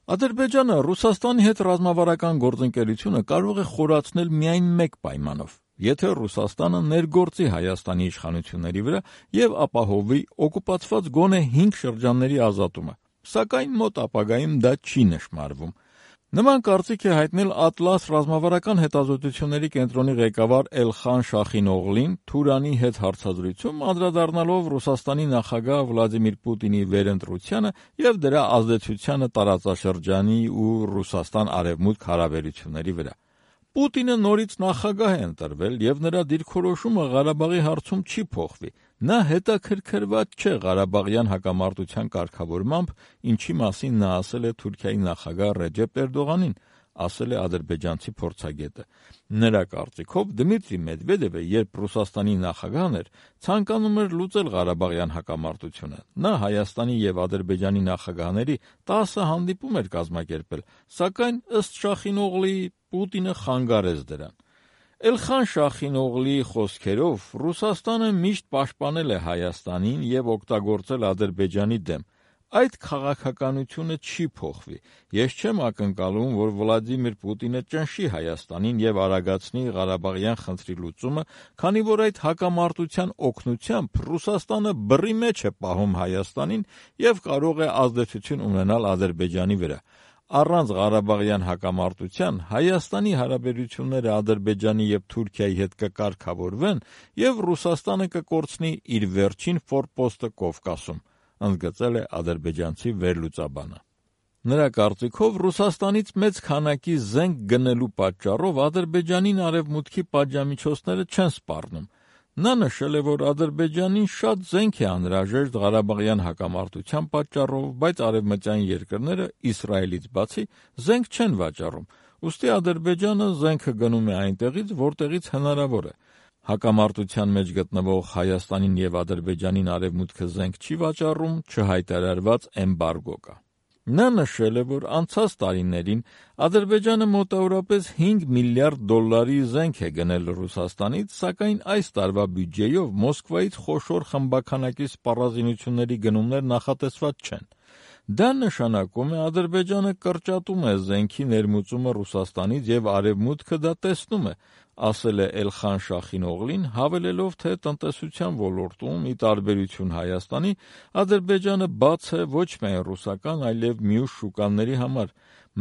Ադրբեջանը Ռուսաստանի հետ ռազմավարական գործընկերությունը կարող է խորացնել միայն մեկ պայմանով, եթե Ռուսաստանը ներգործի Հայաստանի իշխանությունների վրա և ապահովի օկուպացված գոնե 5 շրջանների ազատումը, սակայն մոտ ապագայում դա չի նշմարվում։ Նման կարծիք է հայտնել Ատլաս ռազմավարական հետազոտությունների կենտրոնի ղեկավար Էլխան Շախինօղլին Թուրանի հետ հարցազրույցում, անդրադառնալով Ռուսաստանի նախագահ Վլադիմիր Պուտինի վերընտրությանը և դրա ազդեցությանը տարածաշրջանի ու Ռուսաստան-Արևմուտք հարաբերությունների վրա։ Պուտինը նորից նախագահ է ընտրվել և նրա դիրքորոշումը Ղարաբաղի հարցում չի փոխվի։ Նա հետաքրքրված չէ Ղարաբաղյան հակամարտության կարգավորմամբ, ինչի մասին նա ասել է Թուրքիայի նախագահ Ռեջեփ Էրդողանին, ասել է ադրբեջանցի փորձագետը։ Նրա կարծիքով Դմիտրի Մեդվեդևը, երբ Ռուսաստանի նախագահն էր, ցանկանում էր լուծել Ղարաբաղյան հակամարտությունը։ Նա Հայաստանի և Ադրբեջանի նախագահների 10 հանդիպում էր կազմակերպել, սակայն ըստ Շախինօղլիի Պուտինը խանգարեց դրան։ Էլխան Շախինօղլիի խոսքերով, Ռուսաստանը միշտ պաշտպանել է Հայաստանին և օգտագործել Ադրբեջանի դեմ։ Այդ քաղաքականությունը չի փոխվի։ Ես չեմ ակնկալում, որ Վլադիմիր Պուտինը ճնշի Հայաստանին և արագացնի Ղարաբաղյան խնդրի լուծումը, քանի որ այդ հակամարտության օգնությամբ Ռուսաստանը բռի մեջ է պահում Հայաստանին և կարող է ազդեցություն ունենալ Ադրբեջանի վրա։ Առանց Ղարաբաղյան հակամարտության Հայաստանի հարաբերությունները Ադրբեջանի և Թուրքիայի հետ կկարգավորվեն և Ռուսաստանը կկորցնի իր վերջին ֆորպոստը Կովկասում, ընդգծել է ադրբեջանցի վերլուծաբանը։ Նրա կարծիքով Ռուսաստանից մեծ քանակի զենք գնելու պատճառով Ադրբեջանին Արևմուտքի պատժամիջոցները չեն սպառնում։ Նա նշել է, որ Ադրբեջանին շատ զենք է անհրաժեշտ Ղարաբաղյան հակամարտության պատճառով, բայց արևմտյան երկրները Իսրայելից բացի զենք չեն վաճառում, ուստի Ադրբեջանը զենքը գնում է այնտեղից, որտեղից հնարավոր է։ Հակամարտության մեջ գտնվող Հայաստանին և Ադրբեջանին Արևմուտքը զենք չի վաճառում, չհայտարարված էմբարգո կա։ Նա նշել է, որ անցած տարիներին Ադրբեջանը մոտավորապես 5 միլիարդ դոլարի զենք է գնել Ռուսաստանից, սակայն այս տարվա բյուջեով Մոսկվայից խոշոր խմբաքանակի սպառազինությունների գնումներ նախատեսված չեն։ Դա նշանակում է Ադրբեջանը կրճատում է զենքի ներմուծումը Ռուսաստանից և Արևմուտքը դա տեսնում է, ասել է Էլխան Շախինօղլին, հավելելով, թե տնտեսության ոլորտում, ի տարբերություն Հայաստանի, Ադրբեջանը բաց է ոչ միայն ռուսական, այլև մյուս շուկաների համար։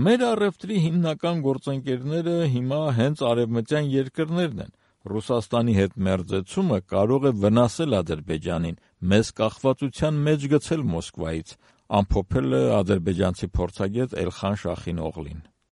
Մեր առևտրի հիմնական գործընկերները հիմա հենց արևմտյան երկրներն են։ Ռուսաստանի հետ մերձեցումը կարող է վնասել Ադրբեջանին, մեզ կախվածության մեջ գցել Մոսկվայից, ամփոփել է ադրբեջանցի փորձագետ Էլխան Շախինօղլին։